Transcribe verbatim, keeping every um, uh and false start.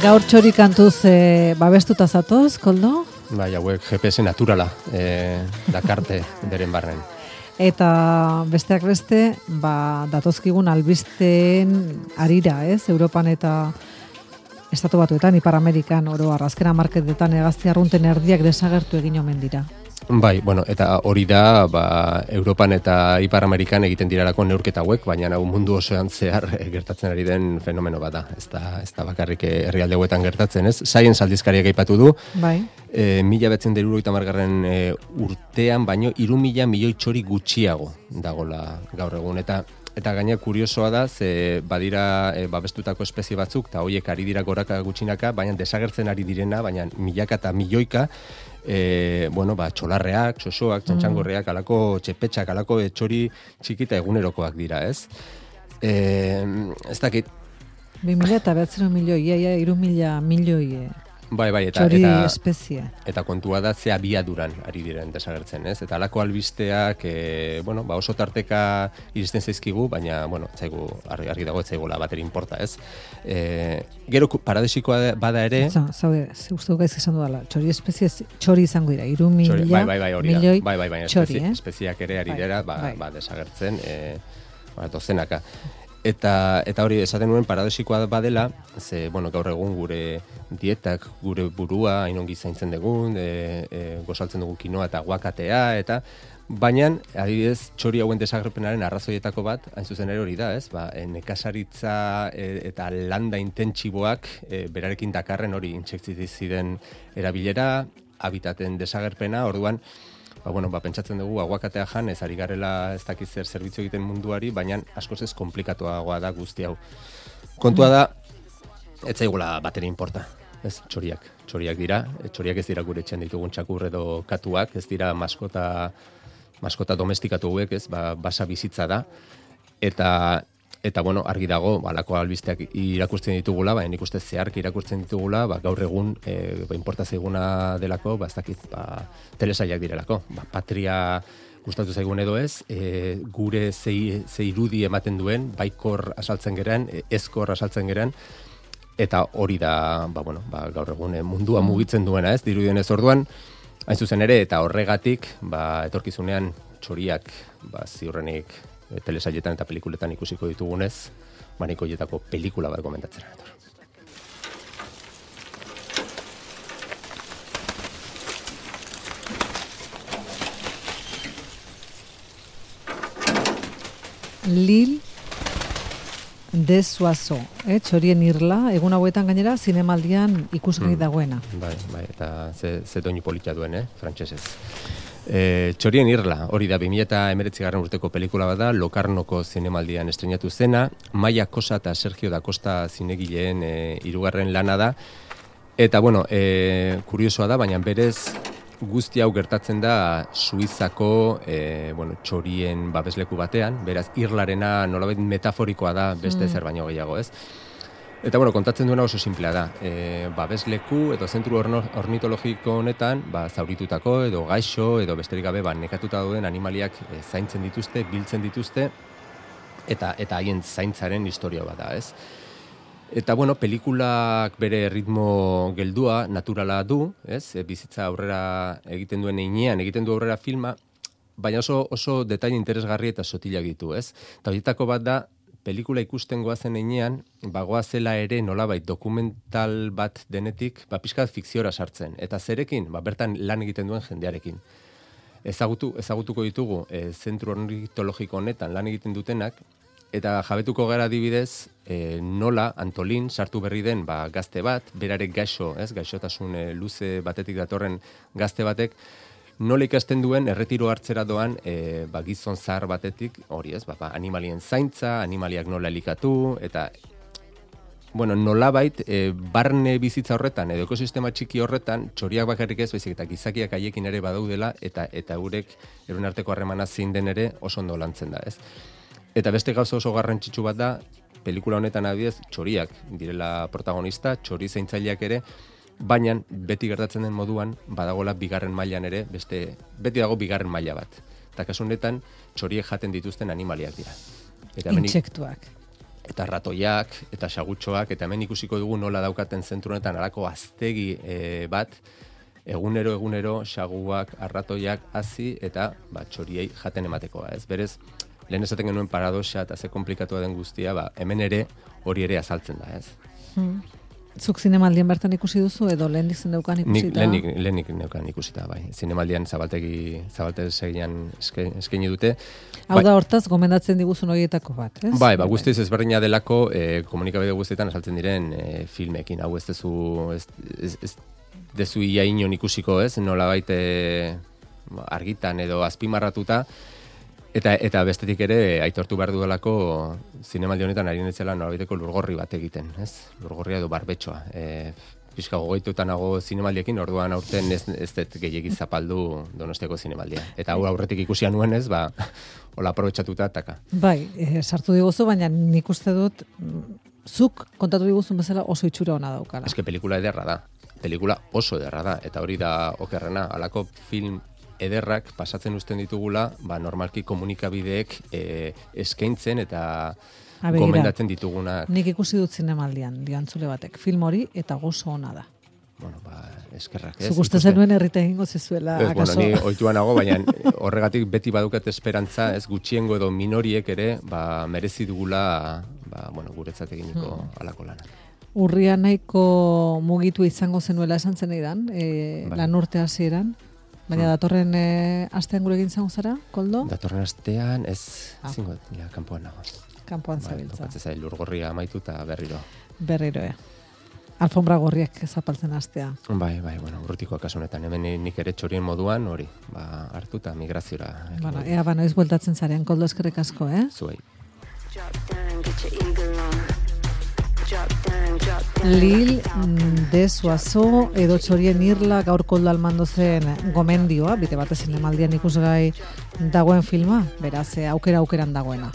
Gaur txori kantuz e, babestuta zatoz, Koldo? Bai, hauek G P S naturala e, dakarte beren barren. Eta besteak beste, ba, datozkigun albisteen arira, ez? Europan eta Estatu Batuetan, Ipar Amerikan, oro arrazkena marketetan egazti arrunten erdiak desagertu egin omen dira. Bai, bueno, eta hori da, ba, Europan eta Ipar Amerikan egiten dirarako neurketa hauek, baina hau mundu osoan zehar gertatzen ari den fenomeno bada. Ez da, ez da bakarrik herrialde hauetan gertatzen, ez? Science aldizkariak aipatu du. Bai. E, mila betzen derurogeita hamargarren e, urtean, baino hiru mila milioi txori gutxiago dagola gaur egun. Eta Eta gaina kuriosoa da, ze badira e, babestutako espezie batzuk, eta horiek ari dira goraka gutxinaka, baina desagertzen ari direna, baina milaka eta milioika, e, bueno, ba, txolarreak, txosoak, txantxangorreak, alako txepetxak, alako etxori txikita egunerokoak dira, ez? E, ez dakit. Bi mila eta behatzero milioi, ia, iru mila milioi bai, bai, eta, txori eta, espezie. Eta kontua da ze abiaduran ari diren desagertzen, ez? Eta alako albisteak, e, bueno, ba oso tarteka iristen zaizkigu, baina, bueno, zaigu, argi, argi dago, ez zaigula bateri inporta, ez? E, gero paradisikoa bada ere... Zaude, ze uste gaizk esan dudala, txori espezie, txori izango dira, iru mila bai, bai, bai, milioi bai, bai, bai, txori, espezie, eh? espeziak ere ari dira, ba, bai. ba, desagertzen, e, ba, dozenaka. Eta, eta hori esaten nuen paradosikoa badela, ze, bueno, gaur egun gure dietak, gure burua, hainongi zaintzen dugun, e, e, gozaltzen dugu kinoa eta guakatea, eta baina, adibidez, txori hauen desagerpenaren arrazoietako bat, hain zuzen ere hori da, ez? Ba, e, nekazaritza e, eta landa intentsiboak e, berarekin dakarren hori intsektiziden erabilera, habitaten desagerpena, orduan, Ba, bueno, ba, pentsatzen dugu aguakatea jan, ez ari garela ez dakiz zer zerbitzu egiten munduari, baina askoz ez komplikatuagoa da guzti hau. Kontua da, ez zaigula bateri inporta, ez, txoriak. Txoriak dira, txoriak ez dira gure etxean ditugun txakur edo katuak, ez dira maskota, maskota domestikatu hauek, ez, ba, basa bizitza da, eta... Eta, bueno, argi dago, balako albisteak irakurtzen ditugula, baina nik uste zehark irakurtzen ditugula, ba, gaur egun, e, ba, inporta zaiguna delako, ba, ez dakit, ba, telesaiak direlako. Ba, patria gustatu zaigun edo ez, e, gure zei, zei irudi ematen duen, baikor asaltzen geran, ezkor asaltzen geran, eta hori da, ba, bueno, ba, gaur egun e, mundua mugitzen duena, ez, dirudien ez orduan, hain zuzen ere, eta horregatik, ba, etorkizunean txoriak, ba, ziurrenik, telesaietan eta pelikuletan ikusiko ditugunez, maniko hietako pelikula bat komentatzen nator. Lil de Soissons, eh? Txorien irla, egun hauetan gainera, zinemaldian ikusgai dagoena. Mm, bai, bai, eta ze, ze doinu politia duen, eh? Frantsesez. E, txorien irla, hori da, bi mila hemeretzigarren urteko pelikula bat da, Lokarnoko zinemaldian estrenatu zena, Maia Kosa eta Sergio da Costa zinegileen e, hirugarren lana da, eta, bueno, e, kuriosoa da, baina berez guzti hau gertatzen da Suizako e, bueno, txorien babesleku batean, beraz, irlarena nolabait metaforikoa da beste zer baino gehiago, ez? Eta, bueno, kontatzen duena oso simplea da. E, babesleku edo zentru ornitologiko honetan, ba, zauritutako edo gaixo edo besterik gabe ba, nekatuta dauden animaliak e, zaintzen dituzte, biltzen dituzte, eta eta haien zaintzaren historia bat da, ez? Eta, bueno, pelikulak bere ritmo geldua, naturala du, ez? E, bizitza aurrera egiten duen heinean, egiten du aurrera filma, baina oso, oso detaile interesgarri eta sotilak ditu, ez? Eta horietako bat da, pelikula ikusten goazen heinean, bagoazela ere nolabait dokumental bat denetik, ba, pixkat fikziora sartzen. Eta zerekin, ba, bertan lan egiten duen jendearekin. Ezagutu, ezagutuko ditugu, e, zentru ornitologiko honetan lan egiten dutenak, eta jabetuko gara adibidez, e, nola Antolin sartu berri den ba, gazte bat, berarek gaixo, ez, gaixotasun e, luze batetik datorren gazte batek, nola ikasten duen erretiro hartzera doan e, ba, gizon zahar batetik, hori ez, ba, ba, animalien zaintza, animaliak nola elikatu, eta bueno, nolabait e, barne bizitza horretan, edo ekosistema txiki horretan, txoriak bakarrik ez, baizik eta gizakiak haiekin ere badaudela, eta eta eurek euren arteko harremana zein den ere oso ondo lantzen da, ez? Eta beste gauza oso garrantzitsu bat da, pelikula honetan adibidez, txoriak direla protagonista, txori zaintzaileak ere, baina beti gertatzen den moduan badagola bigarren mailan ere, beste beti dago bigarren maila bat. Eta kasu honetan txoriek jaten dituzten animaliak dira. Eta intsektuak. eta ratoiak, eta sagutxoak, eta hemen ikusiko dugu nola daukaten zentru honetan alako aztegi e, bat, egunero egunero saguak, arratoiak hazi eta ba, txoriei jaten ematekoa. Ez berez, lehen esaten genuen paradoxa eta ze komplikatua den guztia, ba, hemen ere hori ere azaltzen da, ez? Hmm. Zuk zinemaldien bertan ikusi duzu edo lehenik zeneukan ikusita? Nik lehenik, lehenik neukan ikusita, bai. Zinemaldian zabaltegi, zabaltegian eskaini dute. Hau bai, da hortaz, gomendatzen diguzun horietako bat, ez? Bai, ba, guztiz ezberdina delako e, komunikabide guztietan azaltzen diren e, filmekin. Hau ez dezu, ez, ez, ez dezu ia inon ikusiko, ez? Nola baite argitan edo azpimarratuta. Eta, eta bestetik ere, aitortu behar duelako zinemaldi honetan ari netzela nolabaiteko lurgorri bat egiten, ez? Lurgorria edo barbetxoa. E, Pizka gogoituta nago zinemaldiekin, orduan aurten ez, ez dut gehiagiz zapaldu Donostiako zinemaldia. Eta hau aurretik ikusia nuen ez, ba, hola aprobetxatuta taka. Bai, e, sartu diguzu, baina nik uste dut, zuk kontatu diguzun bezala oso itxura ona daukala. Ez que pelikula ederra da. Pelikula oso ederra da. Eta hori da okerrena, halako film ederrak pasatzen uzten ditugula, ba, normalki komunikabideek e, eskaintzen eta Abegira, gomendatzen ditugunak. Nik ikusi dut zinemaldian, diantzule batek, film hori eta gozo ona da. Bueno, ba, eskerrak, ez? Zuk uste zenuen herrita egingo zizuela, ez, akaso? Bueno, ni ohitua nago, baina horregatik beti badukat esperantza, ez gutxiengo edo minoriek ere, ba, merezi dugula, ba, bueno, guretzat eginiko hmm. alako lana. Urria nahiko mugitu izango zenuela esan zen eidan, e, bai. Lan urte hasieran. Baina datorren e, astean gure egin zango zara, Koldo? Datorren astean, ez, ah. zingo, ja, kanpoan nago. Kanpoan zabiltza. Topatzen zai, lurgorria amaitu eta berriro. Berriro, e. Alfombra gorriak zapaltzen astea. Bai, bai, bueno, urrutiko kasunetan. Hemen nik ere txorien moduan, hori, ba, hartu eta migraziora. Bueno, ea, ba, noiz bueltatzen zarean, Koldo, eskerrik asko, eh? Zuei. Lil de Suazo edo txorien irla gaur Koldo Almando zen gomendioa, bite batez zinemaldian ikusgai dagoen filma, beraz aukera aukeran dagoena.